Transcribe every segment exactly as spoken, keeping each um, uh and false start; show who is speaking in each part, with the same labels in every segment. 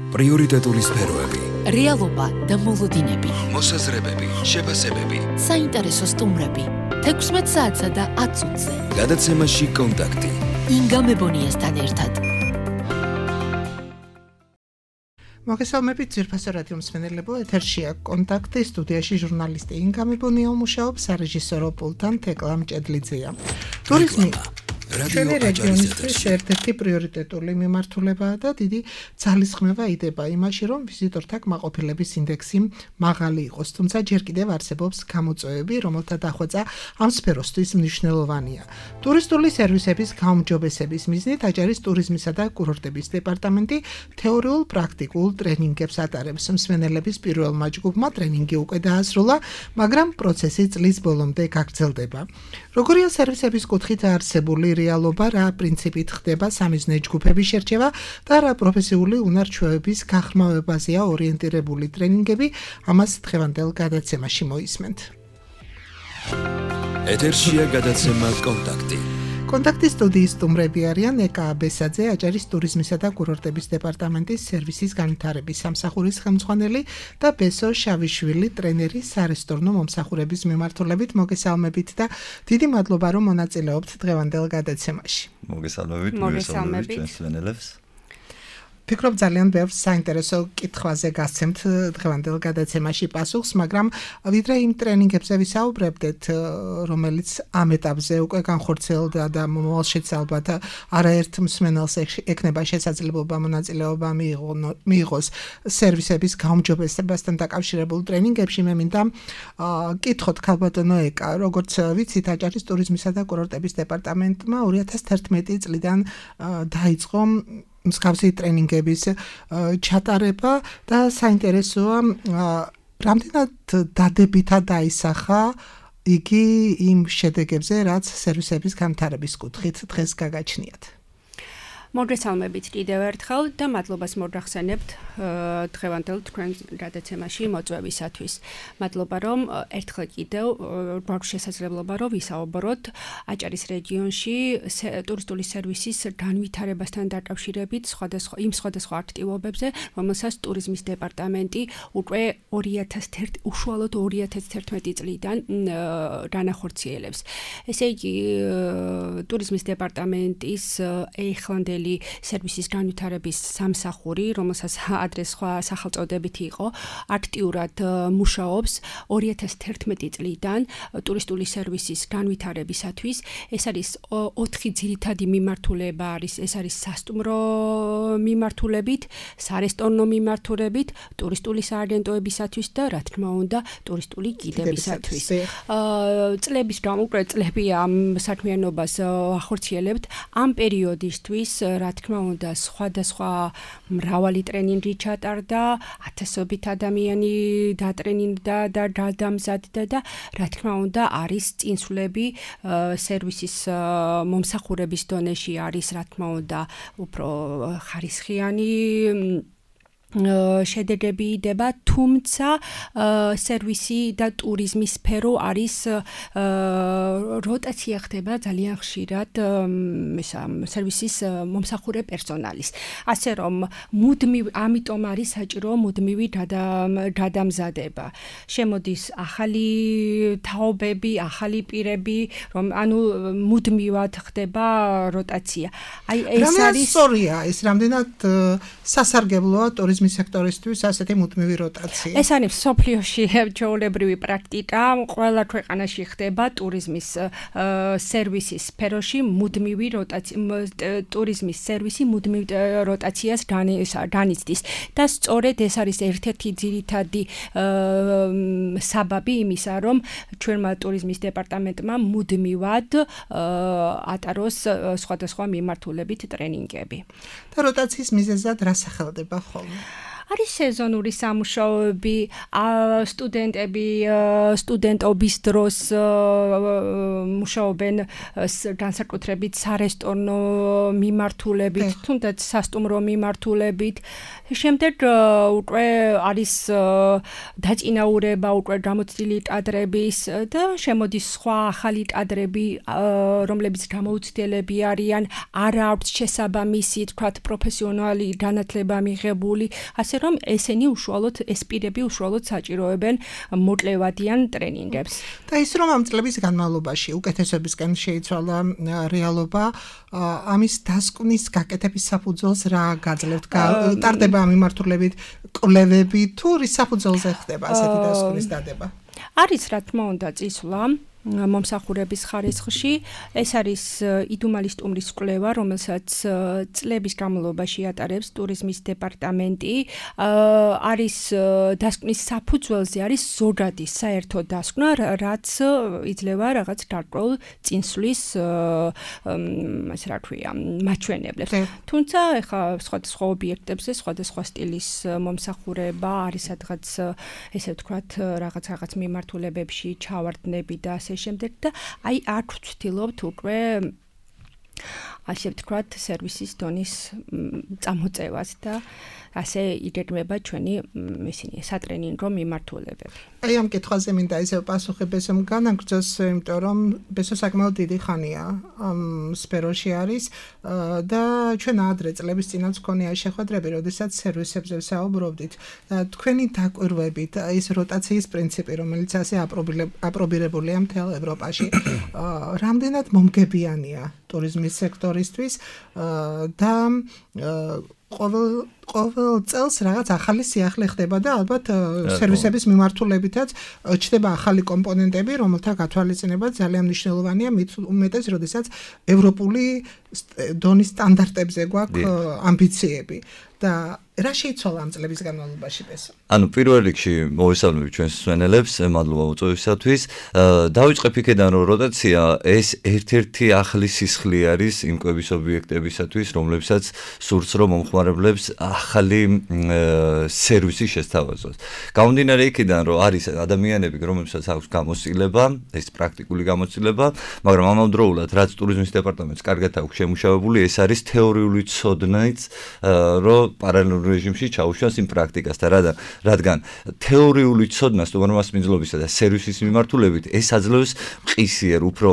Speaker 1: პრიორიტეტული სფეროები,
Speaker 2: რეალობა და მოლოდინები,
Speaker 1: მოსაზრებები, შეფასებები,
Speaker 2: საინტერესო სტუმრები, თექვსმეტ საათსა და ათ წუთზე.
Speaker 1: გადაცემაში კონტაქტი.
Speaker 2: ინგა მებონიასთან ერთად.
Speaker 3: მოგესალმებით ძვირფასო რადიო მსმენელებო, ეთერშია კონტაქტი, სტუდიაში ჟურნალისტი ინგა მებონია მუშაობს, სარეჟისორო პულტთან თეკლა მჭედლიძეა. ტურიზმი ჩვენი რეგიონისთვის ერთ-ერთი პრიორიტეტული მიმართულებაა და დიდი ძალისხმევა იდება იმაში, რომ ვიზიტორთა კმაყოფილების ინდექსი მაღალი იყოს, თუმცა ჯერ კიდევ არსებობს გამოწვევები, რომელთა დახვეწა ამ სფეროსთვის მნიშვნელოვანია. ტურისტული სერვისების გაუმჯობესების მიზნით აჭარის ტურიზმისა და კურორტების დეპარტამენტი თეორიულ პრაქტიკულ ტრენინგებს ატარებს. მსმენელების პირველმა ჯგუფმა ტრენინგი უკვე დაასრულა, მაგრამ პროცესი წლის ბოლომდე გაგრძელდება. როგორია სერვისების კუთხით არსებული რეალობა, რა პრინციპით ხდება სამიზნე ჯგუფების შერჩევა და რა პროფესიული უნარ-ჩვევების გახმავებაზეა ორიენტირებული ტრენინგები, ამას დღევანდელ გადაცემაში მოისმენთ.
Speaker 1: ეთერშია გადაცემა კონტაქტი.
Speaker 3: კონტაქტის სტუდიის სტუმრები არიან ეკა აბესაძე, აჭარის ტურიზმისა და კურორტების დეპარტამენტის სერვისის განვითარების სამსახურის ხელმძღვანელი და ბესო შავიშვილი, ტრენერი სარესტორნო მომსახურების მიმართულებით. მოგესალმებით და დიდი მადლობა, რომ მონაწილეობთ დღევანდელ გადაცემაში.
Speaker 4: მოგესალმებით, მოგესალმებით ჩვენს მსმენელებს.
Speaker 3: ფიქრობ ძალიან ბევრ საინტერესო კითხვაზე გასცემთ დღევანდელ გადაცემაში პასუხს, მაგრამ ვიდრე იმ ტრენინგებზე ვისაუბრებდეთ, რომელიც ამ ეტაპზე უკვე განხორციელდა და მომავალშიც ალბათ არაერთ მსმენელს ექნება შესაძლებლობა მონაწილეობა მიიღოს სერვისების გაუმჯობესებასთან დაკავშირებულ ტრენინგებში. მე მინდა კითხოთ ქალბატონო ეკა, როგორც ვიცით, აჭარის ტურიზმისა და კურორტების დეპარტამენტმა ორი ათას თერთმეტი წლიდან დაიწყო მსგავსი ტრენინგების ჩატარება და საინტერესოა, რამდენად დადებითად დაისახა იგი იმ შედეგებზე, რაც სერვისების განვითარების კუთხით დღეს გაგაჩნიათ.
Speaker 5: მოგესალმებით კიდევ ერთხელ და მადლობას მოგახსენებთ დღევანდელ თქვენ გადაცემაში მოწვევისათვის. მადლობა, რომ ერთხელ კიდევ გვაქვს შესაძლებლობა, რომ ვისაუბროთ აჭარის რეგიონში ტურისტული სერვისის განვითარებასთან დაკავშირებით სხვადასხვა იმ სხვადასხვა აქტივობებზე, რომელსაც ტურიზმის დეპარტამენტი უკვე უშუალოდ ორი ათას თერთმეტი წლიდან განახორციელებს. ესე იგი, ტურიზმის დეპარტამენტის ახლანდელი სერვისის განვითარების სამსახური, რომელსაც ადრე სხვა სახელწოდებით იყო, აქტიურად მუშაობს ორი ათას თერთმეტი წლიდან ტურისტული სერვისის განვითარებისათვის. ეს არის ოთხი ძირითადი მიმართულება არის, ეს არის სასტუმრო მიმართულებით, სარესტორნო მიმართულებით, ტურისტული სააგენტოებისათვის და რა თქმა უნდა, ტურისტული გიდებისათვის. წლების გამოკვლე წლები ამ საქმიანობას ახორციელებთ. ამ პერიოდისთვის რა თქმა უნდა, სხვადასხვა მრავალი ტრენინგი ჩატარდა, ათასობით ადამიანი დატრენინგდა და გადამზადდა და რა თქმა უნდა, არის წინსვლები სერვისის მომსახურების დონეში არის, რა თქმა უნდა, უფრო ხარისხიანი შედეგები იდება, თუმცა სერვისი და ტურიზმის სფერო არის როტაცია ხდება ძალიან ხშირად სერვისის მომსახურე პერსონალის. ასე რომ მუდმივ ამიტომ არის საჭირო მუდმივი გადამზადება. შემოდის ახალი თაობები, ახალი პირები, რომ ანუ მუდმივად ხდება როტაცია. აი ეს არის
Speaker 3: სწორია, ეს რამდენად სასარგებლოა ტურიზმის სექტორისთვის ასეთი მუდმივი როტაცია.
Speaker 5: ეს არის სოფლიოში ჩვეულებრივი პრაქტიკა, ყველა ქვეყანაში ხდება ტურიზმის სერვისის სფეროში მუდმივი როტაცია, ტურიზმის სერვისი მუდმივ როტაციას განიცდის და სწორედ ეს არის ერთ-ერთი ძირითადი საბაბი იმისა, რომ ჩვენმა ტურიზმის დეპარტამენტმა მუდმივად ატაროს სხვადასხვა მიმართულებით ტრენინგები.
Speaker 3: და როტაციის მიზეზად რა სახელდება ხოლმე?
Speaker 5: არის სეზონური სამუშაოები, სტუდენტები სტუდენტობის დროს მუშაობენ განსაკუთრებით სარესტორნო მიმართულებით, თუნდაც სასტუმრო მიმართულებით. შემდეგ უკვე არის დაწინაურება უკვე გამოცდილი კადრების და შემოდის სხვა ახალი კადრები, რომლებიც გამოუცდელები არიან, არა აქვს შესაბამისი, თქვათ, პროფესიონალი განათლება მიღებული, ასე რომ ესენი უშუალოდ ეს პირები უშუალოდ საჭიროებენ მოკლევადიან ტრენინგებს.
Speaker 3: და ის რომ ამ წლების განმავლობაში უკეთესებისკენ შეიცვალა რეალობა, ამის დასკვნის გაკეთების საფუძველს რა გაძლევთ? ტარდება ამ მიმართულებით კვლევები თუ რის საფუძველზე ხდება ასეთი დასკვნის დადება?
Speaker 5: არის რა თქმა უნდა წისვლა მომსახურების ხარისხში. ეს არის იდუმალის სტუმრის კვლევა, რომელსაც წლების განმავლობაში ატარებს ტურიზმის დეპარტამენტი. არის დასკვნის საფუძველზე არის ზოგადი საერთო დასკვნა, რაც იძლევა რაღაც გარკვეულ წინსვლის ასე რა ქვია, მაჩვენებლებს. თუმცა ეხა სხვადასხვა ობიექტებზე სხვადასხვა სტილის მომსახურება არის სადღაც ესე ვთქვათ რაღაც რაღაც მიმართულებებში ჩავარდნები და ასე შემდეგ და აი აქ ვცდილობთ უკვე ასე ვთქვათ სერვისის დონის წამოწევას და ასე იგეგმება ჩვენი ისინი სატრენინგო მიმართულებები.
Speaker 3: აი ამ კითხვაზე მინდა ისევ პასუხი ბესომ განაგრძოს, იმიტომ რომ ბესო საკმაოდ დიდი ხანია ამ სფეროში არის და ჩვენ ადრე წლების წინაც გქონია შეხვედრები, როდესაც სერვისებზე ვსაუბრობდით და თქვენი დაკვირვებით ის როტაციის პრინციპი, რომელიც ასე აპრობირებულია მთელ ევროპაში, რამდენად მომგებიანია ტურიზმის სექტორისთვის და ყოველ ყოველ წელს რაღაც ახალი სიახლე ხდება და ალბათ სერვისების მიმართულებითაც ჩდება ახალი კომპონენტები, რომელთა გათვალისწინება ძალიან მნიშვნელოვანია, მით უმეტეს, როდესაც ევროპული დონის სტანდარტებზე გვაქვს ამბიციები და რა შეიცვალა ამ წლების განმავლობაში ბესო?
Speaker 4: ანუ პირველ რიგში მოვესალმები ჩვენს მსმენელებს, მადლობა უწევისათვის. დავიწყებ იქედან, რომ როტაცია ეს ერთ-ერთი ახალი სისხლი არის იმ კვების ობიექტებისათვის, რომლებსაც სურს რომ მომხმარებლებს ახალი სერვისი შესთავაზოს. გამომდინარე იქიდან, რომ არის ადამიანები, რომლებსაც აქვს გამოცდილება, ეს პრაქტიკული გამოცდილება, მაგრამ ამავდროულად რაც ტურიზმის დეპარტამენტს კარგად აქვს შემუშავებული, ეს არის თეორიული ცოდნაც, რომ პარალელურ რეჟიმში ჩაუშვას იმ პრაქტიკას და რადგან რადგან თეორიული ცოდნა სტუმრობის მიზნობისა და სერვისის მიმართულებით ეს აძლევს მყისიერ უფრო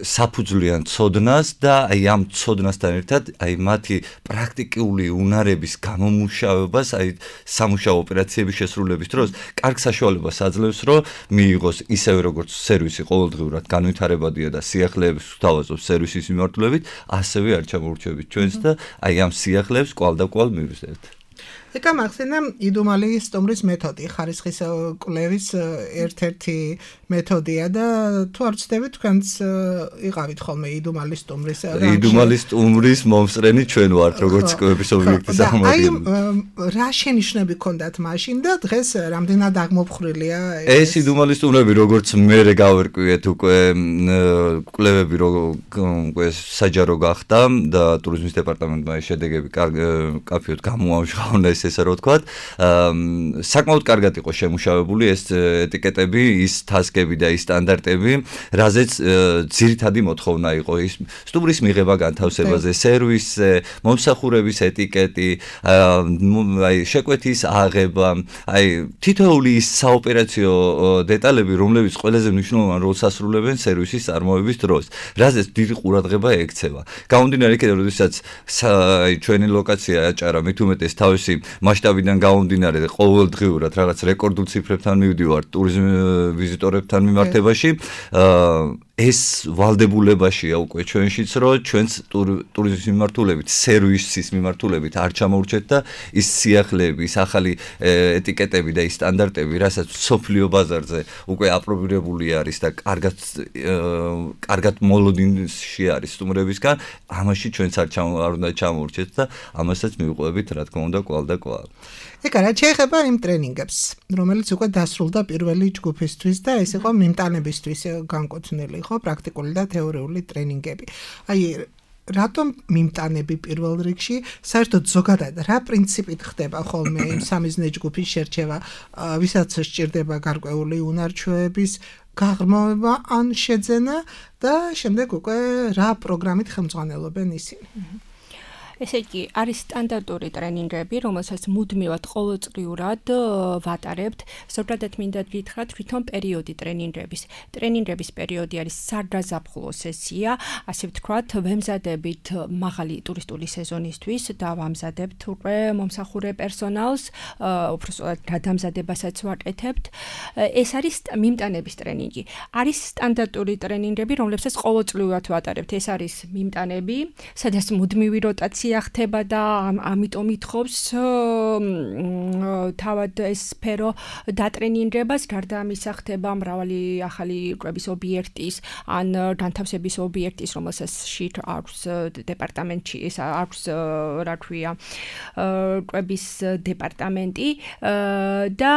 Speaker 4: საფუძვლიან ცოდნას და აი ამ ცოდნასთან ერთად აი მათი პრაქტიკული უნარების გამომუშავებას, აი სამუშაო ოპერაციების შესრულების დროს კარგ საშუალებას აძლევს, რომ მიიღოს ისევე როგორც სერვისი ყოველდღიურად განვითარებადია და სიახლეებს ვთავაზობს სერვისის მიმართულებით, ასევე არ ჩამოურჩევით ჩვენს და აი ამ სიახლეებს კვალ და კვალ მივიზრდეთ.
Speaker 3: ეკა მახსენა იდუმალის სტუმრის მეთოდი, ხარისხის კვლევის ერთ-ერთი მეთოდია და თუ არ ვცდებით, თქვენც იყავით ხოლმე იდუმალის სტუმრის
Speaker 4: იდუმალის სტუმრის მომსწრენი ჩვენ ვართ, როგორც კვლევის ობიექტის აღმოჩენა.
Speaker 3: აი რა შენიშვნები გქონდათ მაშინ და დღეს რამდენად აღმოფხრილია
Speaker 4: ეს იდუმალის სტუმრები, როგორც მე გავერკვიეთ უკვე კვლევები უკვე საჯარო გახდა და ტურიზმის დეპარტამენტმა ეს შედეგები კაფეოდ გამოამჟღავნა, ესე რომ ვთქვათ, საკმაოდ კარგად იყო შემუშავებული ეს ეტიკეტები, ის თასკები და ის სტანდარტები, რაზეც ძირითადი მოთხოვნა იყო ის სტუმრის მიღება განთავსებაზე, სერვისზე, მომსახურების ეტიკეტი, აი შეკვეთის აღება, აი თითოეული ის საოპერაციო დეტალები, რომლებიც ყველაზე მნიშვნელოვან როლს ასრულებენ სერვისის წარმოების დროს, რაზეც დიდი ყურადღება ექცევა. გამომდინარე იქიდან, როდესაც ჩვენი ლოკაცია აჭარა მით უმეტეს თავისი მასშტაბიდან გამომდინარე ყოველდღიურად რაღაც რეკორდულ ციფრებთან მივდივართ ტურიზმ ვიზიტორებთან მიმართებაში, ეს ვალდებულებაშია უკვე ჩვენშიც, რომ ჩვენს ტურიზმის მიმართულებით, სერვისის მიმართულებით არ ჩამოურჩეთ და ის სიახლეები, ის ახალი ეტიკეტები და ის სტანდარტები, რასაც სოფლიო ბაზარზე უკვე აპრობირებული არის და კარგად კარგად მოლოდინში არის სტუმრებისგან, ამაში ჩვენც არ უნდა ჩამოურჩეთ და ამასაც მივყვებით, რა თქმა უნდა, კვალ და კვალ.
Speaker 3: ეკა რა შეეხება იმ ტრენინგებს, რომელიც უკვე დასრულდა პირველი ჯგუფისთვის და ეს იყო მიმტანებისთვის განკუთვნილი, ხო, პრაქტიკული და თეორიული ტრენინგები. აი რატომ მიმტანები პირველ რიგში, საერთოდ ზოგადად რა პრინციპით ხდება ხოლმე იმ სამიზნე ჯგუფის შერჩევა, ვისაც სჭირდება გარკვეული უნარჩვეების გაღრმავება ან შეძენა და შემდეგ უკვე რა პროგრამით ხელმძღვანელობენ ისინი.
Speaker 5: ესე იგი, არის სტანდარტული ტრენინგები, რომელსაც მუდმივად ყოველწლიურად ვატარებთ. ზოგადად მინდა გითხრათ, თვითონ პერიოდი ტრენინგების. ტრენინგების პერიოდი არის სარდაზაფხულო სესია, ასე ვთქვათ, ვემზადებით მაღალი ტურისტული სეზონისთვის და ვამზადებთ უკვე მომსახურე პერსონალს, უბრალოდ გადამზადებასაც ვაკეთებთ. ეს არის მიმტანების ტრენინგი. არის სტანდარტული ტრენინგები, რომლებსაც ყოველწლიურად ვატარებთ. ეს არის მიმტანები, სადაც მუდმივი როტაცია ხდება და ამიტომ ითხოვს თავად ეს სფერო დატრენინგებას, გარდა ამისა ხდება მრავალი ახალი კვების ობიექტის ან განთავსების ობიექტის, რომელსაც აქვს დეპარტამენტში, ეს აქვს რა ქვია, კვების დეპარტამენტი და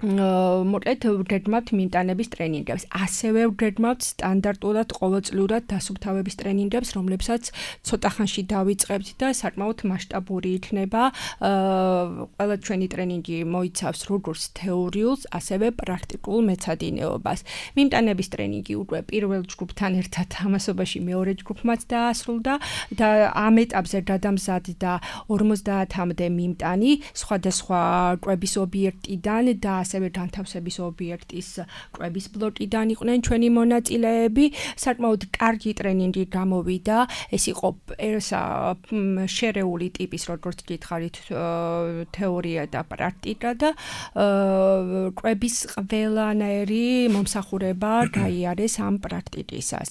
Speaker 5: მოკლედ ვგეგმავთ მიმტანების ტრენინგებს. ასევე ვგეგმავთ სტანდარტულად ყოველწლიურად დასუფთავების ტრენინგებს, რომლებსაც ცოტა ხანში დავიწყებთ და საკმაოდ მასშტაბური იქნება. ყველა ჩვენი ტრენინგი მოიცავს როგორც თეორიულს, ასევე პრაქტიკულ მეცადინეობას. მიმტანების ტრენინგი უკვე პირველ ჯგუფთან ერთად ამასობაში მეორე ჯგუფმაც დაასრულდა და ამ ეტაპზე გადამზადდა ორმოცდაათამდე მიმტანი სხვადასხვა კვების ობიექტიდან და ასევე განთავსების ობიექტის კვების ბლოკიდან იყვნენ ჩვენი მონაწილეები. საკმაოდ კარგი ტრენინგი გამოვიდა. ეს იყო შერეული ტიპის, როგორც გითხარით, თეორია და პრაქტიკა და კვების ყველანაირი მომსახურება გაიარეს ამ პრაქტიკისას.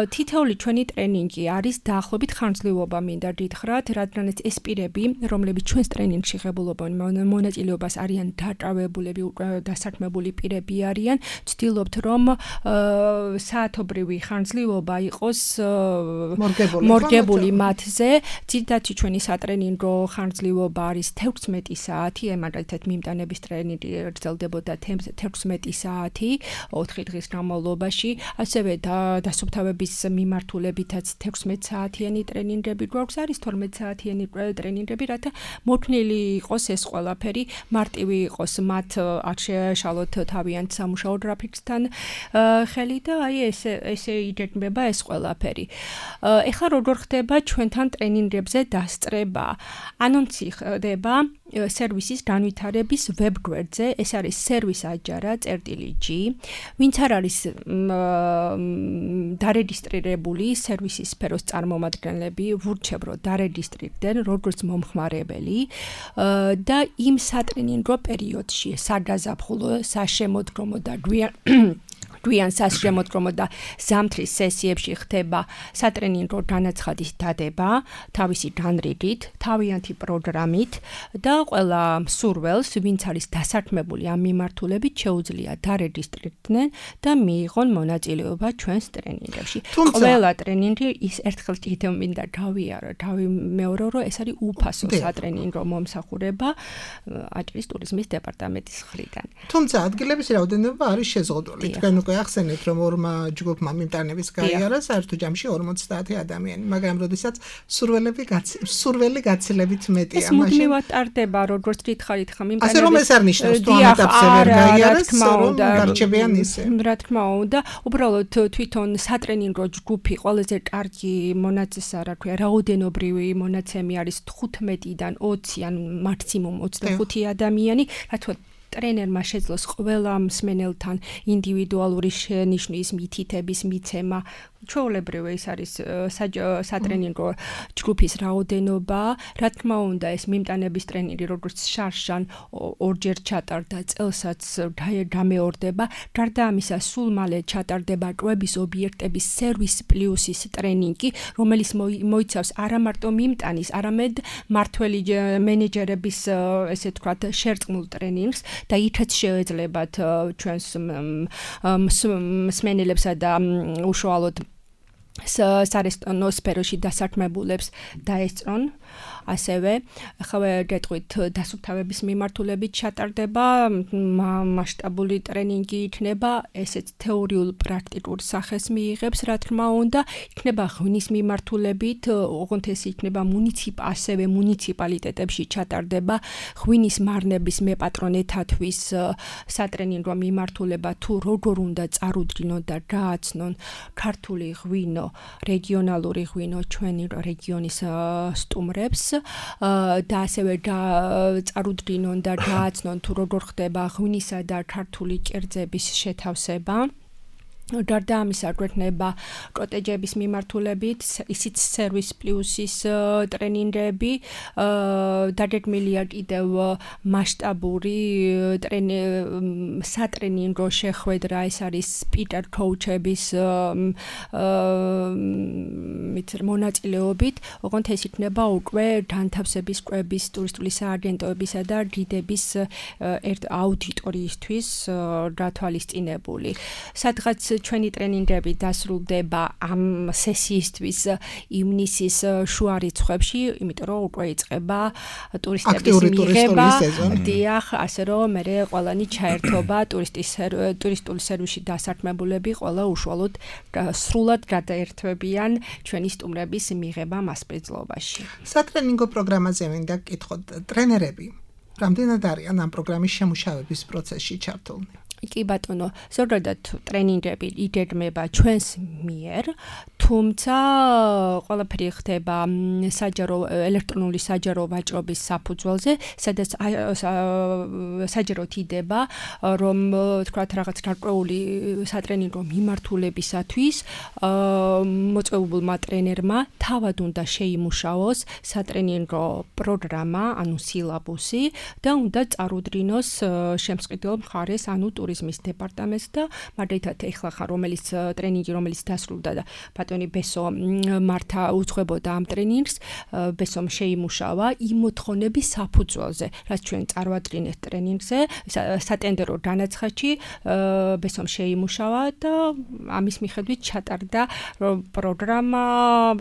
Speaker 5: თითოეული ჩვენი ტრენინგი არის დაახლოებით ხანგრძლივობა მინდა გითხრათ, რადგანაც ეს პირები, რომლებიც ჩვენს ტრენინგში ღებულობენ მონაწილეობას არიან დაკავებული დასაქმებული პირები არიან, ვცდილობთ რომ საათობრივი ხანგრძლივობა იყოს მორგებული მათზე. ძირითადი ჩვენი სატრენინგო ხანგრძლივობა არის თექვსმეტი საათი, მაგალითად მიმტანების ტრენინგი გრძელდებოდა თექვსმეტი საათი ოთხი დღის განმავლობაში, ასევე დასუფთავების მიმართულებითაც თექვსმეტი საათიანი ტრენინგები გვაქვს, არის თორმეტი საათიანი ტრენინგები, რათა მოქნილი იყოს ეს ყველაფერი, მარტივი იყოს მათ არ შეეშალოთ თავიანთ სამუშაო გრაფიკსთან ხელი და აი ესე ესე იგეგმება ეს ყველაფერი. ეხლა როგორ ხდება ჩვენთან ტრენინგებზე დასწრება? ანონსი ხდება სერვისის განვითარების ვებგვერდზე, ეს არის service ajara წერტილი G. ვინც არ არის დარეგისტრირებული სერვისის სფეროს წარმომადგენლები, ვურჩევ რომ დარეგისტრირდნენ როგორც მომხმარებელი და იმ სატრენინგო პერიოდში საგაზაფხულო, საშემოდგომო და გვიან გვიან სასშემოდგომო და ზამთრის სესიებში ხდება სატრენინგო განაცხადის დადება თავისი განრიგით, თავიანთი პროგრამით და ყველა მსურველს, ვინც არის დასაქმებული ამ მიმართულებით, შეუძლია დარეგისტრირდნენ და მიიღონ მონაწილეობა ჩვენს ტრენინგებში. ყველა ტრენინგი ის ერთხელ კიდევ მინდა გავიარო, გავიმეორო, რომ ეს არის უფასო სატრენინგო მომსახურება აჭარის ტურიზმის დეპარტამენტის მხრიდან.
Speaker 3: თუმცა ადგილების რაოდენობა არის შეზღუდული. თქვენ უკვე ახსენეთ, რომ ორმა ჯგუფმა მიმტანების გაიარა საერთო ჯამში ორმოცდაათი ადამიანი, მაგრამ როდესაც სურველები სურველი გაცილებით მეტია,
Speaker 5: მაშინ ეს მუდმივად ტარდება, როგორც გითხარით, ხა მიმტანების.
Speaker 3: ასე რომ ეს არ ნიშნავს, თუ ამ ეტაპზე ვერ გაიარეს, რომ გარჩებიან ისე.
Speaker 5: რა თქმა უნდა, უბრალოდ თვითონ სატრენინგო ჯგუფი ყველაზე კარგი მონაცემი, რა ქვია, რაოდენობრივი მონაცემი არის თხუთმეტიდან ოცი ან მაქსიმუმ ოცდახუთი ადამიანი, რა თქმა უნდა ტრენერმა შეძლოს ყველა მსმენელთან ინდივიდუალური შენიშვნის, მითითების მიცემა. ჩვეულებრივ ეს არის სატრენინგო ჯგუფის რაოდენობა. რა თქმა უნდა, ეს მიმტანების ტრენინგი როგორც შარშან ორჯერ ჩატარდა, წელსაც გამეორდება. გარდა ამისა, სულ მალე ჩატარდება კვების ობიექტების სერვის პლუსის ტრენინგი, რომელიც მოიცავს არა მარტო მიმტანის, არამედ მართველი მენეჯერების, ესე ვთქვათ, შერწყმულ ტრენინგს და იქაც შეეძლებათ ჩვენს მსმენელებსა და უშუალოდ სარესტორნო სფეროში დასაქმებულებს დაესწრონ. ასევე ახლა გეტყვით დასუფთავების მიმართულებით ჩატარდება მასშტაბური ტრენინგი იქნება, ესეც თეორიულ პრაქტიკულ სახეს მიიღებს, რა თქმა უნდა, იქნება ღვინის მიმართულებით, ოღონდ ეს იქნება მუნიციპ ასევე მუნიციპალიტეტებში ჩატარდება ღვინის მარნების მეპატრონეთათვის სატრენინგო მიმართულება თუ როგორ უნდა წარუდგინონ და გააცნონ ქართული ღვინო, რეგიონალური ღვინო ჩვენი რეგიონის სტუმრებს და ასევე წარუდგინონ და გააცნონ თუ როგორ ხდება ღვინისა და ქართული კერძების შეთავსება. გარდა ამისა გვექნება კოტეჯების მიმართულებით, ისიც სერვის პლუსის ტრენინგები, დაგეგმილია კიდევ მასშტაბური სატრენინგო შეხვედრა, ეს არის სპიკერ კოუჩების მონაწილეობით, ოღონდ ეს იქნება უკვე განთავსების კვების, ტურისტული სააგენტოებისა და გიდების აუდიტორიისთვის გათვალისწინებული. სადღაც ჩვენი ტრენინგები დასრულდება ამ სესიისთვის ივნისის შუა რიცხვებში, იმიტომ რომ უკვე იწყება ტურისტების მიღება. დიახ, ასე რომ მე ყველანი ჩაერთობა ტურისტული სერვისში დასაქმებულები ყველა უშუალოდ სრულად გადაერთვებიან ჩვენი სტუმრების მიღება მასპინძლობაში.
Speaker 3: სატრენინგო პროგრამაზე მინდა გკითხოთ, ტრენერები რამდენად არიან ამ პროგრამის შემუშავების პროცესში ჩართულნი?
Speaker 5: კი ბატონო, ზოგადად ტრენინგები იგეგმება ჩვენს მიერ, თუმცა ყველაფერი ხდება საჯარო ელექტრონული საჯარო ვაჭრობის საფუძველზე, სადაც საჯაროდ იდება, რომ თქვათ რაღაც გარკვეული სატრენინგო მიმართულებისათვის მოწვეულმა ტრენერმა თავად უნდა შეიმუშაოს სატრენინგო პროგრამა, ანუ სილაბუსი და უნდა წარუდგინოს შემსყიდველ მხარეს, ანუ ტურიზმის დეპარტამენტს და მაგალითად ეხლა ხარ რომელიც ტრენინგი რომელიც დასრულდა და ბატონი ბესო მართა უძღვებოდა ამ ტრენინგს, ბესომ შეიმუშავა იმ მოთხოვნების საფუძველზე, რაც ჩვენ წარვადგინეთ ტრენინგზე, სატენდერო განაცხადში ბესომ შეიმუშავა და ამის მიხედვით ჩატარდა პროგრამა,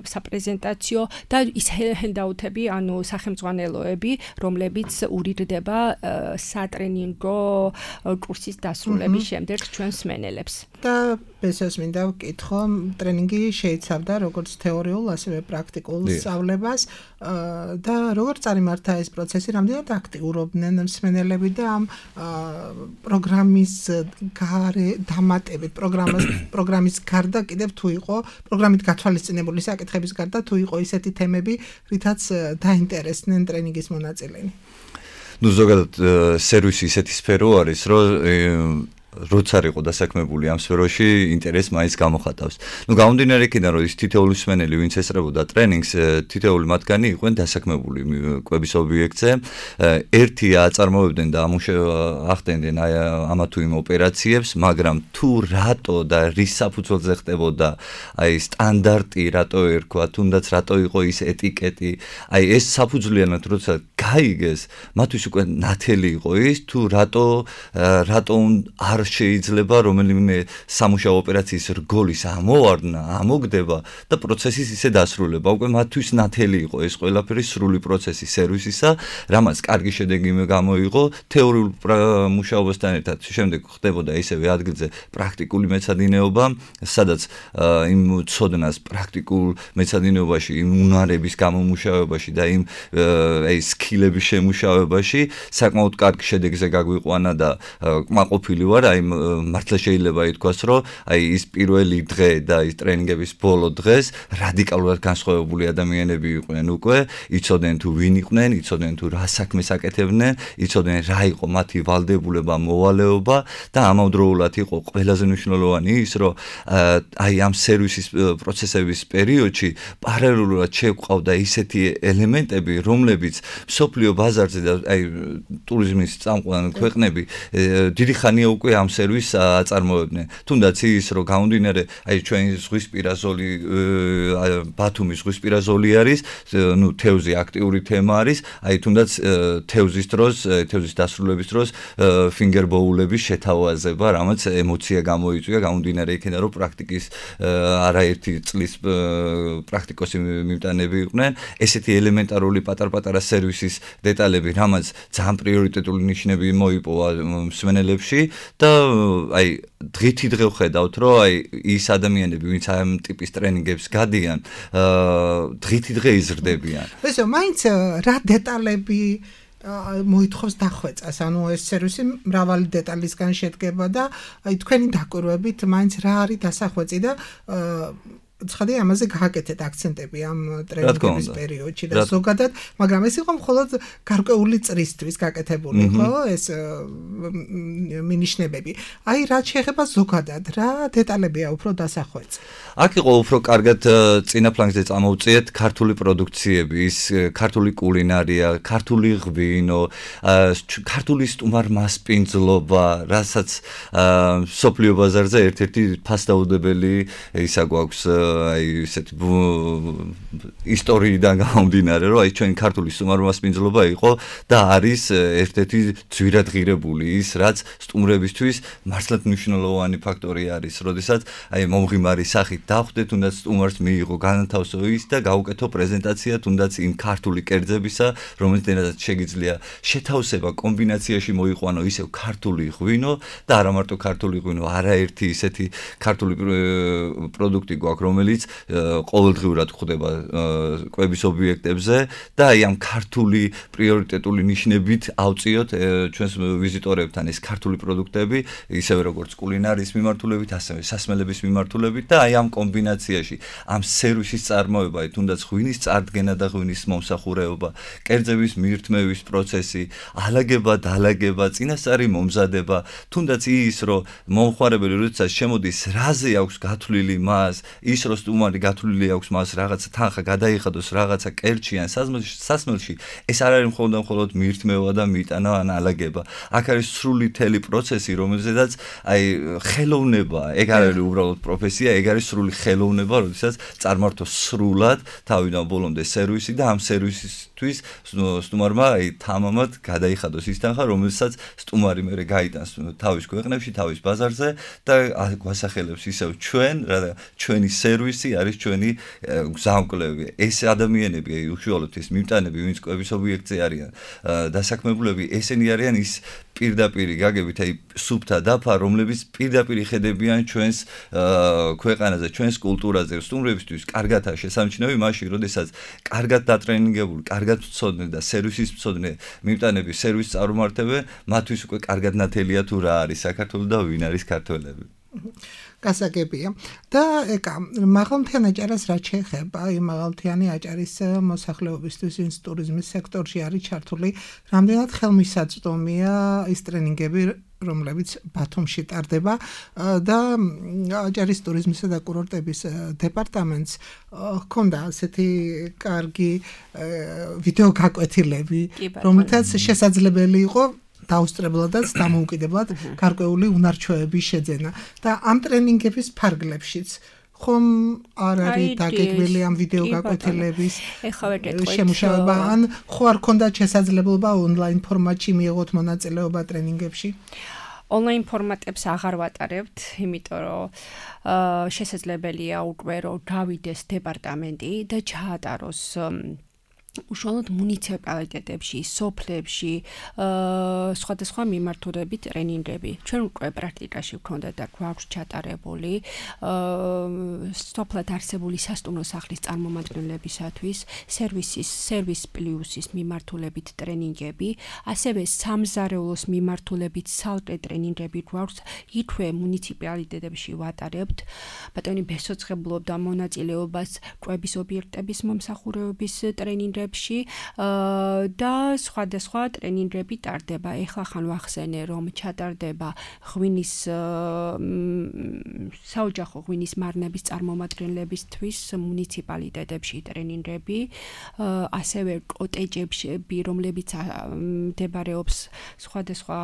Speaker 5: საპრეზენტაციო და ის ჰენდაუთები, ანუ სახელმძღვანელოები, რომლებიც ურიგდება სატრენინგო კურსის დასრულების შემდეგ ჩვენს მენელებს.
Speaker 3: და ბესოს მინდა ვკითხო, ტრენინგი შეიცავდა როგორც თეორიულ, ასევე პრაქტიკულ სწავლებას და როგორ წარიმართა ეს პროცესი, რამდენად აქტიურობდნენ მსმენელები და ამ პროგრამის გარე დამატებით, პროგრამის პროგრამის გარდა კიდევ თუ იყო პროგრამით გათვალისწინებული საკითხების გარდა თუ იყო ისეთი თემები, რითაც დაინტერესდნენ ტრენინგის მონაწილენი.
Speaker 4: ნუ ზოგადად სერვისი ისეთი სფერო არის, რომ როცა იყო დასაქმებული ამ სფეროში ინტერესს მაინც გამოხატავს. ნუ გამომდინარე იქიდან, რომ ის თითოეული მსმენელი, ვინც ესწრებოდა ტრენინგს, თითოეული მათგანი იყვნენ დასაქმებული კვების ობიექტზე. ერთი აწარმოებდნენ და ახდენდნენ ამა თუ იმ ოპერაციებს, მაგრამ თუ რატო და რის საფუძველზე ხდებოდა აი სტანდარტი, რატო ერქვა, თუნდაც რატო იყო ის ეტიკეტი, აი ეს საფუძვლიანად როცა გაიგეს, მათთვის უკვე ნათელი იყო ის, თუ რატო რატო არ შეიძლება რომელიმე სამუშაო ოპერაციის რგოლის ამოვარდნა, ამოგდება და პროცესის ისე დასრულება. უკვე მათთვის ნათელი იყო ეს ყველაფერი სრული პროცესი სერვისისა, რამაც კარგი შედეგი გამოიღო თეორიულ მუშაობასთან ერთად. შემდეგ ხდებოდა ისევე ადგილზე პრაქტიკული მეცადინეობა, სადაც იმ ცოდნას პრაქტიკულ მეცადინეობაში, იმ უნარების გამომუშავებაში და იმ აი სკილების შემუშავებაში საკმაოდ კარგი შედეგზე გაგვიყვანა და კმაყოფილი ვარ. აი მართლა შეიძლება ითქვას, რომ აი ის პირველი დღე და ის ტრენინგების ბოლო დღეს რადიკალურად განსხვავებული ადამიანები იყვნენ უკვე, იცოდნენ თუ ვინ იყვნენ, იცოდნენ თუ რა საქმეს აკეთებდნენ, იცოდნენ რა იყო მათი ვალდებულება, მოვალეობა და ამავდროულად იყო ყველაზე მნიშვნელოვანი ის, რომ აი ამ სერვისის პროცესების პერიოდში პარალელურად შეგვყავდა ისეთი ელემენტები, რომლებიც სოფლიო ბაზარზე და აი ტურიზმის წამყვან ქვეყნები დიდი ხანია უკვე ამ სერვისს აწარმოებდნენ. თუნდაც ის რომ გამომდინარე აი ჩვენი ზღვისპირა ზოლი ბათუმის ზღვისპირა ზოლი არის, ნუ თევზი აქტიური თემა არის, აი თუნდაც თევზის დროს, თევზის დასრულების დროს ფინგერბოულების შეთავაზება, რამაც ემოცია გამოიწვია, გამომდინარე იქიდან რომ პრაქტიკის არაერთი წლის პრაქტიკოსი მიმტანები იყვნენ, ესეთი ელემენტარული პატარ-პატარა სერვისის დეტალები, რამაც ძალიან პრიორიტეტული ნიშნები მოიპოვა მსმენელებში და აი დღითი დღე ვხედავთ, რომ აი ის ადამიანები, ვინც ამ ტიპის ტრენინგებს გადიან, დღითი დღე იზრდებიან.
Speaker 3: ესო, მაინც რა დეტალები მოითხოვს დახვეწას, ანუ ეს სერვისი მრავალი დეტალისგან შედგება და აი თქვენი დაკვირვებით მაინც რა არის დასახვეწი და ცხადია ამაზე გააკეთეთ აქცენტები ამ ტრენინგების პერიოდში და ზოგადად, მაგრამ ეს იყო მხოლოდ გარკვეული წრისთვის გაკეთებული, ხო, ეს მინიშნებები. აი რაც შეეხება ზოგადად, რა დეტალებია უფრო დასახვეწი?
Speaker 4: აქ იყო უფრო კარგად წინა ფლანგზე წამოვწიეთ ქართული პროდუქციები, ის ქართული კულინარია, ქართული ღვინო, ქართული სტუმარ-მასპინძლობა, რასაც სოფლიო ბაზარზე ერთ-ერთი ფასდაუდებელი ისა გვაქვს აი ესეთი ისტორიიდან გამომდინარე, რომ აი ჩვენი ქართული სტუმარ-მასპინძლობა იყო და არის ერთ-ერთი ძვირადღირებული ის, რაც სტუმრებისთვის მართლაც მნიშვნელოვანი ფაქტორი არის, როდესაც აი მომღიმარი სახით დავხვდეთ, თუნდაც სტუმარს მიიღო განათავსო ის და გაუკეთო პრეზენტაცია, თუნდაც იმ ქართული კერძებისა, რომელთაც შეგიძლია შეთავსება კომბინაციაში მოიყვანო ისევ ქართული ღვინო და არა მარტო ქართული ღვინო, არაერთი ისეთი ქართული პროდუქტი გვაქვს, რომელიც ყოველდღიურად გვხვდება კვების ობიექტებზე და აი ამ ქართული პრიორიტეტული ნიშნებით ავწიოთ ჩვენს ვიზიტორებთან ეს ქართული პროდუქტები, ისევე როგორც კულინარიის მიმართულებით, ასევე სასმელების მიმართულებით და აი ამ კომბინაციაში ამ სერვისის წარმოება, თუნდაც ღვინის წარდგენა და ღვინის მომსახურება, კერძების მირთმევის პროცესი, ალაგება, დალაგება, წინასწარი მომზადება, თუნდაც ის, რომ მომხმარებელი როდესაც შემოდის, რაზე აქვს გათვლილი მას, ის რომ სტუმარი გათვლილი აქვს მას რაღაცა თანხა გადაიხადოს რაღაცა კერძში ან სასმელში, ეს არ არის მხოლოდ და მხოლოდ მირთმევა და მიტანა ან ალაგება. აქ არის სრული თელი პროცესი, რომელზედაც აი ხელოვნება, ეგ არ არის უბრალოდ პროფესია, ეგ არის სრული ხელოვნება, როდესაც წარმართოს სრულად თავიდან ბოლომდე სერვისი და ამ სერვისისთვის სტუმარმა აი თამამად გადაიხადოს ის თანხა, რომელსაც სტუმარი მერე გაიტანს თავის ქვეყნებში, თავის ბაზარზე და გვასახელებს ისევ ჩვენ, რა ჩვენი სერვისი არის ჩვენი გზამკვლევი. ეს ადამიანები, აი უშუალოდ ეს მიმტანები, ვინც კვების ობიექტზე არიან დასაქმებულები, ესენი არიან ის პირდაპირი გაგებით, აი სუფთა დაფა, რომლებიც პირდაპირ ხედებიან ჩვენს ქვეყანაზე, ჩვენს კულტურაზე, სტუმრებისთვის კარგადაა შესამჩნევი მაშინ, როდესაც კარგად დატრენინგებული, კარგად მცოდნე და სერვისის მცოდნე მიმტანები სერვისს წარმართებენ, მათთვის უკვე კარგად ნათელია თუ რა არის საქართველო და ვინ არის ქართველები.
Speaker 3: გასაგებია და ეკა მაღალმთიანი აჭარას რაც შეეხება, იმ მაღალმთიანი აჭარის მოსახლეობისთვის ვინც ტურიზმის სექტორში არის ჩართული, რამდენად ხელმისაწვდომია ის ტრენინგები, რომლებიც ბათუმში ტარდება და აჭარის ტურიზმისა და კურორტების დეპარტამენტს ჰქონდა ასეთი კარგი ვიდეო გაკვეთილები, რომლითაც შესაძლებელი იყო დაუსწრებლადაც დამოუკიდებლად გარკვეული უნარჩვევების შეძენა და ამ ტრენინგების ფარგლებშიც ხომ არ არის დაგეგმილი ამ ვიდეო გაკვეთილების შემუშავება ან ხო არ ქონდათ შესაძლებლობა ონლაინ ფორმატში მიიღოთ მონაწილეობა ტრენინგებში?
Speaker 5: ონლაინ ფორმატებს აღარ ვატარებთ, იმიტომ რომ შესაძლებელია უკვე რომ გავიდეს დეპარტამენტი და ჩაატაროს უშუალოდ მუნიციპალიტეტებში, სოფლებში, სხვადასხვა მიმართულებით ტრენინგები. ჩვენ უკვე პრაქტიკაში ვქონდა და გვაქვს ჩატარებული სოფლად არსებული სასტუმრო სახლის წარმომადგენლებისათვის სერვისის, სერვის პლუსის მიმართულებით ტრენინგები, ასევე სამზარეულოს მიმართულებით ცალკე ტრენინგები გვაქვს, იქვე მუნიციპალიტეტებში ვატარებთ. ბატონი ბესოცხებლობდა მონაწილეობას კვების ობიექტების მომსახურების ტრენინგებში ტრენინგებში და სხვადასხვა ტრენინგები ტარდება. ეხლა ხან ვახსენე, რომ ჩატარდება ღვინის საოჯახო ღვინის მარნების წარმომადგენლებისთვის მუნიციპალიტეტებში ტრენინგები, ასევე კოტეჯებში, რომლებიც მდებარეობს სხვადასხვა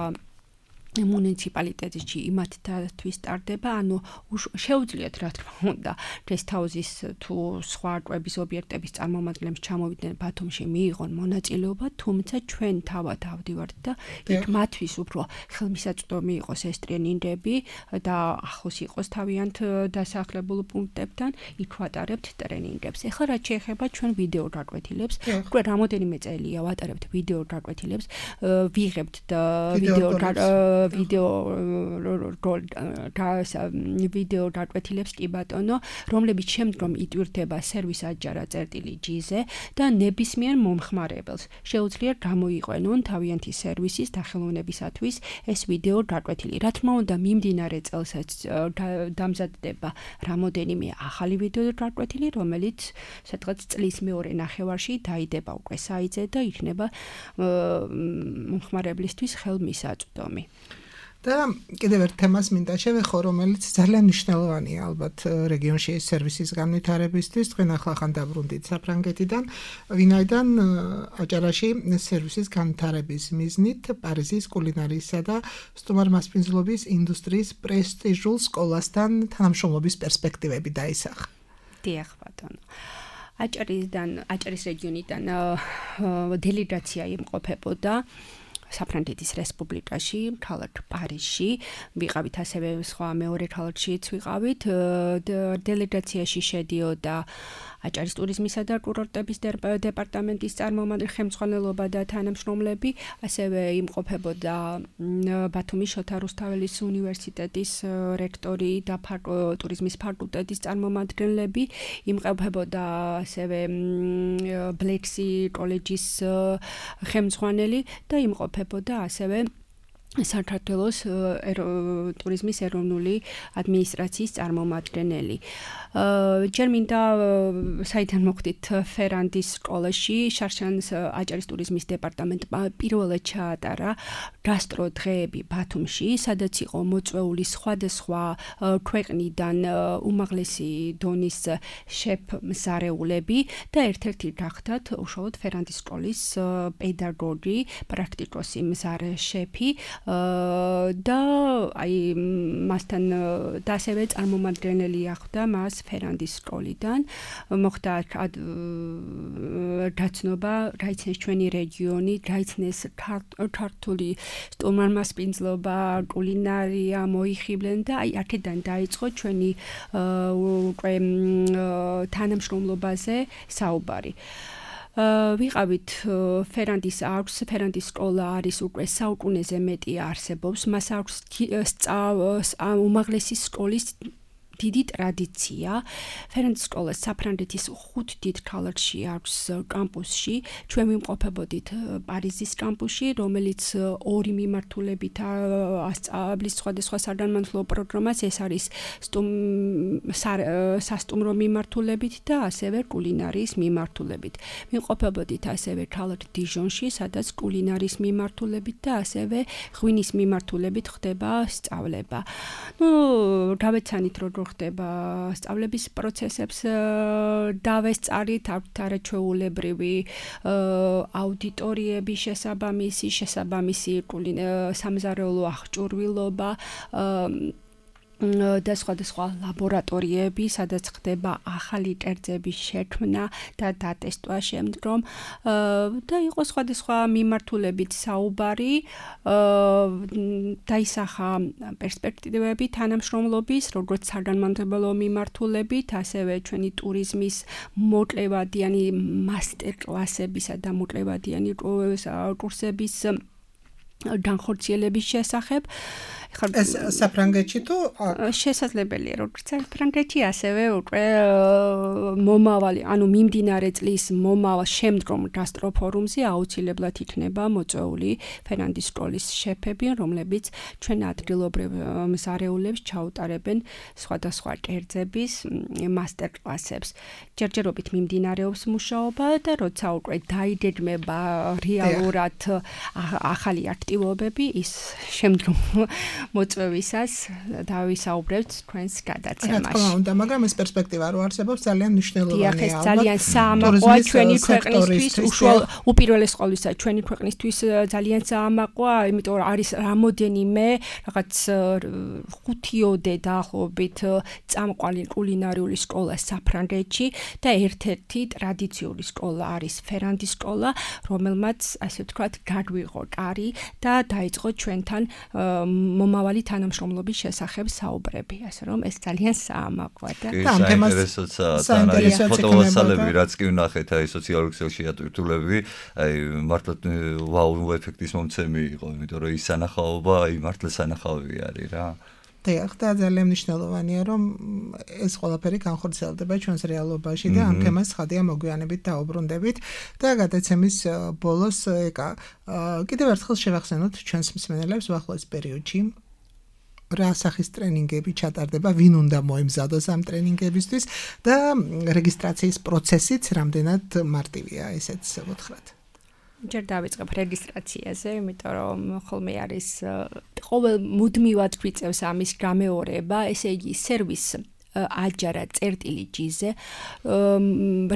Speaker 5: მუნიციპალიტეტში იმათთვის ტარდება, ანუ შეუძლიათ რა თქმა უნდა გესტჰაუსის თუ სხვა კვების ობიექტების წარმომადგენლებს ჩამოვიდნენ ბათუმში მიიღონ მონაწილეობა, თუმცა ჩვენ თავად ავდივართ და იქ მათთვის უფრო ხელმისაწვდომი იყოს ეს ტრენინგები და ახლოს იყოს თავიანთ დასახლებულ პუნქტებთან, იქ ვატარებთ ტრენინგებს. ეხლა რაც შეეხება ჩვენ ვიდეო გაკვეთილებს, უკვე რამოდენიმე წელია ვატარებთ ვიდეო გაკვეთილებს, ვიღებთ ვიდეო ვიდეო ვიდეო გაკვეთილებს კი ბატონო, რომლებიც შემდგომ იტვირთება სერვის აჯარა წერტილი ჯი-ზე და ნებისმიერ მომხმარებელს შეუძლია გამოიყვენონ თავიანთი სერვისის დახელოვნებისათვის ეს ვიდეო გაკვეთილი. რა თქმა უნდა, მიმდინარე წელსაც დამზადდება რამოდენიმე ახალი ვიდეო გაკვეთილი, რომელიც სადღაც წლის მეორე ნახევარში დაიდება უკვე საიტზე და იქნება მომხმარებლისთვის ხელმისაწვდომი.
Speaker 3: და კიდევ ერთ თემას მინდა შევეხო, რომელიც ძალიან მნიშვნელოვანია ალბათ რეგიონში ეს სერვისის განვითარებისთვის. თქვენ ახლა დაბრუნდით საფრანგეთიდან, ვინაიდან აჭარაში სერვისის განვითარების მიზნით პარიზის კულინარიისა და სტუმარმასპინძლობის ინდუსტრიის პრესტიჟულ სკოლასთან თანამშრომლობის პერსპექტივები დაისახა.
Speaker 5: დიახ ბატონო. აჭარისთან, აჭარის რეგიონიდან დელეგაცია იმყოფებოდა საფრანგეთის რესპუბლიკაში, ქალაქ პარიზში, ვიყავით ასევე სხვა მეორე ქალაქშიც ვიყავით. დელეგაციაში შედიოდა აჭარის ტურიზმისა და კურორტების დეპარტამენტის წარმომადგენელი, ხელმძღვანელობა და თანამშრომლები, ასევე იმყოფებოდა ბათუმის შოთა რუსთაველის უნივერსიტეტის რექტორი და ტურიზმის ფაკულტეტის წარმომადგენლები, იმყოფებოდა ასევე ბლექსი კოლეჯის ხელმძღვანელი და იმყოფებოდა ასევე საქართველოს ტურიზმის ეროვნული ადმინისტრაციის წარმომადგენელი. ჯერ მინდა საიდან მოხდით ფერანდის სკოლაში, შარშანის აჭარის ტურიზმის დეპარტამენტმა პირველად ჩაატარა გასტრო დღეები ბათუმში, სადაც იყო მოწვეული სხვადასხვა ქვეყნიდან უმაღლესი დონის შეფ-მზარეულები და ერთ-ერთი გახდათ უშუალოდ ფერანდის სკოლის პედაგოგი, პრაქტიკოსი მზარე შეფი და აი მასთან და ასევე წარმომადგენელი ახდა მას ფერანდის სკოლიდან. მოხდა გაცნობა, გაიცნეს ჩვენი რეგიონი, გაიცნეს ქართული სტუმარმასპინძლობა, კულინარია, მოიხიბლენ და აი აქედან დაიწყო ჩვენი უკვე თანამშრომლობაზე საუბარი. ვიყავით ფერანდის აქვს, ფერანდის სკოლა არის უკვე საუკუნეზე მეტი არსებობს, მას აქვს უმაღლესი სკოლის დიდი ტრადიცია. ფერანდის სკოლა საფრანგეთის ხუთ დიდ ქალაქში აქვს კამპუსში. ჩვენ ვიმყოფებოდით პარიზის კამპუსში, რომელიც ორი მიმართულებით ასწავლის სხვადასხვა საგანმანათლებლო პროგრამას. ეს არის სასტუმრო მიმართულებით და ასევე კულინარიის მიმართულებით. ვიმყოფებოდით ასევე ქალაქ დიჟონში, სადაც კულინარიის მიმართულებით და ასევე ღვინის მიმართულებით ხდება სწავლება. ნუ გავეცანით როგორ ხდება სწავლების პროცესებს დავესწარით, აქვთ არაჩვეულებრივი აუდიტორიები შესაბამისი, შესაბამისი სამზარეულო აღჭურვილობა და სხვადასხვა ლაბორატორიები, სადაც ხდება ახალი კერძების შექმნა და დატესტვა შემდგომ და იყო სხვადასხვა მიმართულებით საუბარი, დაისახა პერსპექტივები თანამშრომლობის, როგორც საგანმანათლებლო მიმართულებით, ასევე ჩვენი ტურიზმის მოკლევადიანი მასტერკლასებისა და მოკლევადიანი კურსების განხორციელების შესახებ.
Speaker 3: ეს საფრანგეთში თუ
Speaker 5: შესაძლებელია როგორც საფრანგეთში ასევე უკვე მომავალი ანუ მიმდინარე წლის მომავალ შემდგომ გასტროფორუმზე აუცილებლად იქნება მოწვეული ფერნანდის სკოლის შეფები, რომლებიც ჩვენ ადგილობრივ მზარეულებს ჩაუტარებენ სხვადასხვა კერძების მასტერკლასებს. ჯერჯერობით მიმდინარეობს მუშაობა და როცა უკვე დაიგეგმება რეალურად ახალი აქტივობები, ის შემდგომ მოწვევისას დავისაუბრებთ თქვენს გადაცემაში.
Speaker 3: რა თქმა უნდა, მაგრამ ეს პერსპექტივა რო არსებობს, ძალიან მნიშვნელოვანია.
Speaker 5: დიახ, ეს ძალიან საამაყოა ჩვენი ქვეყნისთვის, უპირველეს ყოვლისა ჩვენი ქვეყნისთვის ძალიან საამაყოა, იმიტომ რომ არის რამოდენიმე რაღაც ხუთიოდე დაახლოებით წამყვანი კულინარიული სკოლა საფრანგეთში და ერთ-ერთი ტრადიციული სკოლა არის ფერანდის სკოლა, რომელმაც ასე ვთქვათ, გაგვიღო კარი და დაიწყო ჩვენთან მომავალი თანამშრომლობის შესახებ საუბრები, ასე რომ ეს ძალიან საამაყოა და
Speaker 4: ამ თემას საინტერესოა ფოტოვასალები, რაც კი ვნახეთ, აი სოციალურ ქსელში ატვირთულები, აი მართლა ვაუ ეფექტის მომცემი იყო, იმიტომ რომ ის სანახაობა, აი მართლა სანახავი არის რა.
Speaker 3: დიახ, და ძალიან მნიშვნელოვანია, რომ ეს ყველაფერი განხორციელდება ჩვენს რეალობაში და ამ თემას ხადია მოგვიანებით დაუბრუნდებით და გადაცემის ბოლოს ეკა კიდევ ერთხელ შევახსენოთ ჩვენს მსმენელებს ვახლოს პერიოდში რა სახის ტრენინგები ჩატარდება, ვინ უნდა მოემზადოს ამ ტრენინგებისთვის და რეგისტრაციის პროცესიც რამდენად მარტივია, ესეც ვუთხრათ.
Speaker 5: ჯერ დავიწყებ რეგისტრაციაზე, იმიტომ რომ ხოლმე არის ყოველ მუდმივად გვიწევს ამის გამეორება, ესე იგი სერვის აჯარა წერტილი ჯიზე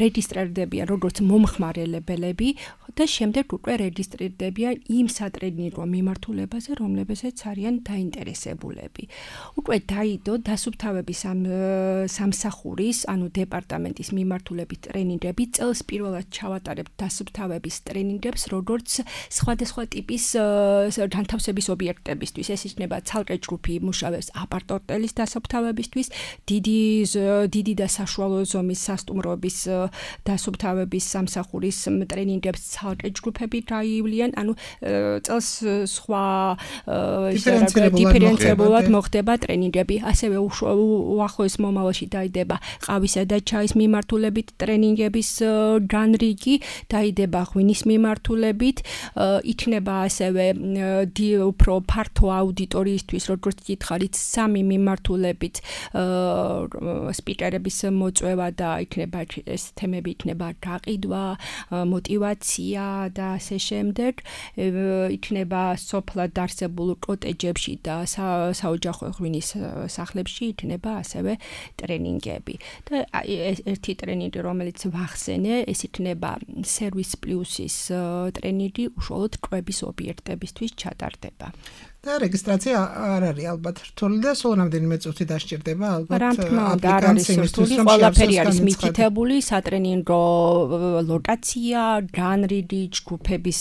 Speaker 5: რეგისტრირდებიან როგორც მომხმარებელები და შემდეგ უკვე რეგისტრირდებიან იმ სატრენინგო მიმართულებაზე, რომლებზეც არიან დაინტერესებულები. უკვე დაიდო დასუფთავების სამსახურის, ანუ დეპარტამენტის მიმართულებით ტრენინგები, წელს პირველად ჩავატარებთ დასუფთავების ტრენინგებს, როგორც სხვადასხვა ტიპის განთავსების ობიექტებისთვის. ეს იქნება ცალკე ჯგუფი იმუშავებს აპარტ-ოტელის დასუფთავებისთვის, დიდი დიდი და საშუალო ზომის სასტუმროების დასუფთავების სამსახურის ტრენინგებს ცალკე ჯგუფები გაივლიან, ანუ წელს სხვა დიფერენცირებულად მოხდება ტრენინგები. ასევე უახლოეს მომავალში დაიდება ყავისა და ჩაის მიმართულებით ტრენინგების განრიგი, დაიდება ღვინის მიმართულებით, იქნება ასევე უფრო ფართო აუდიტორიისთვის, როგორც გითხარით, სამი მიმართულებით სპიკერების მოწვევა და იქნება ეს თემები იქნება გაყიდვა, мотивация და ასე შემდეგ. იქნება სოფლად არსებულ კოტეჯებში და საოჯახო ღვინის სახლებში იქნება ასევე ტრენინგები. და ერთი ტრენინგი, რომელიც ვახსენე, ეს იქნება სერვის პლუსის ტრენინგი, უშუალოდ კვების ობიექტებისთვის ჩატარდება.
Speaker 3: და რეგისტრაცია არ არის ალბათ რთული და სულ რამდენიმე წუთი დასჭირდება ალბათ
Speaker 5: აპლიკაციისთვის, რომ ყველაფერი არის მითითებული, სატრენინგო ლოკაცია, განრიგი, ჯგუფების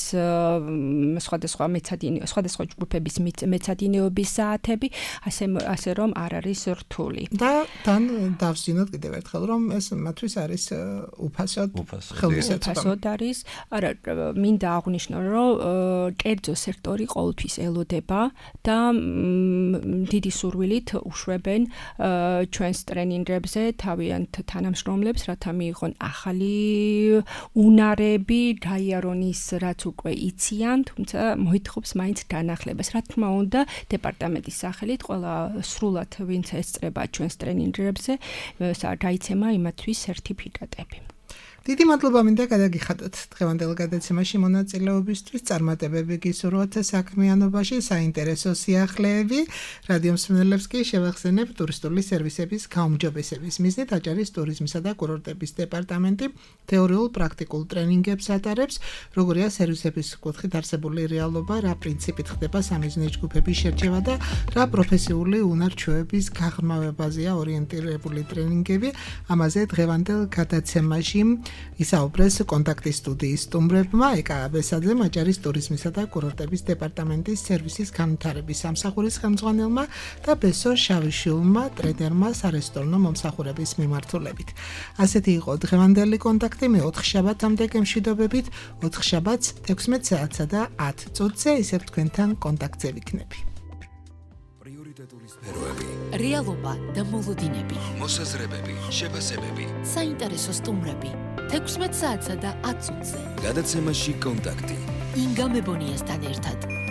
Speaker 5: სხვადასხვა მეცადინე, სხვადასხვა ჯგუფების მეცადინეობის საათები, ასე ასე რომ არ არის რთული.
Speaker 3: და თან დავსვინოთ კიდევ ერთხელ, რომ ეს მათთვის არის უფასოდ
Speaker 5: ხელმისაწვდომი არის. არა, მინდა აღვნიშნო, რომ კერძო სექტორი ყოველთვის ელოდება და დიდი სურვილით უშვებენ ჩვენს ტრენინგებზე თავიანთ თანამშრომლებს, რათა მიიღონ ახალი უნარები, გაიარონ ის, რაც უკვე იციან, თუმცა მოითხოვს მაინც განახლებას. რა თქმა უნდა, დეპარტამენტის სახელით ყველა სრულად ვინც ესწრება ჩვენს ტრენინგებზე, გაიცემა იმათთვის სერტიფიკატები.
Speaker 3: დიდი მადლობა მინდა გადაგიხადოთ დღევანდელ გადაცემაში მონაწილეობისთვის, წარმატებები გისურვოთ საქმიანობაში, საინტერესო სიახლეები. რადიო მსმენელებს კი შევახსენებ ტურისტული სერვისების გაუმჯობესების მიზნით აჭარის ტურიზმისა და კურორტების დეპარტამენტი თეორიულ პრაქტიკულ ტრენინგებს ატარებს, როგორია სერვისების კუთხით არსებული რეალობა, რა პრინციპით ხდება სამიზნე ჯგუფების შერჩევა და რა პროფესიული უნარ-ჩვევების გაღრმავებაზეა ორიენტირებული ტრენინგები. ამაზე დღევანდელ გადაცემაში ისაუბრეს კონტაქტის სტუდიის სტუმრებმა, ეკა აბესაძემ, აჭარის ტურიზმისა და კურორტების დეპარტამენტის სერვისის განვითარების სამსახურის ხელმძღვანელმა და ბესო შავიშვილმა, ტრენერმა სარესტორნო მომსახურების მიმართულებით. ასეთი იყო დღევანდელი კონტაქტი, მე ოთხ შაბათამდე გემშვიდობებით, ოთხ შაბათს თექვსმეტ საათსა და ათ წუთზე ისევ თქვენთან კონტაქტზე ვიქნები.
Speaker 1: ურთიერთდატული სფეროები,
Speaker 2: რეალობა და მოლოდინები,
Speaker 1: მოსაზრებები, შეფასებები.
Speaker 2: საინტერესო სტუმრები. თექვსმეტ საათსა და ათ წუთზე.
Speaker 1: გადაცემაში კონტაქტი.
Speaker 2: ინგა მებონიასთან ერთად.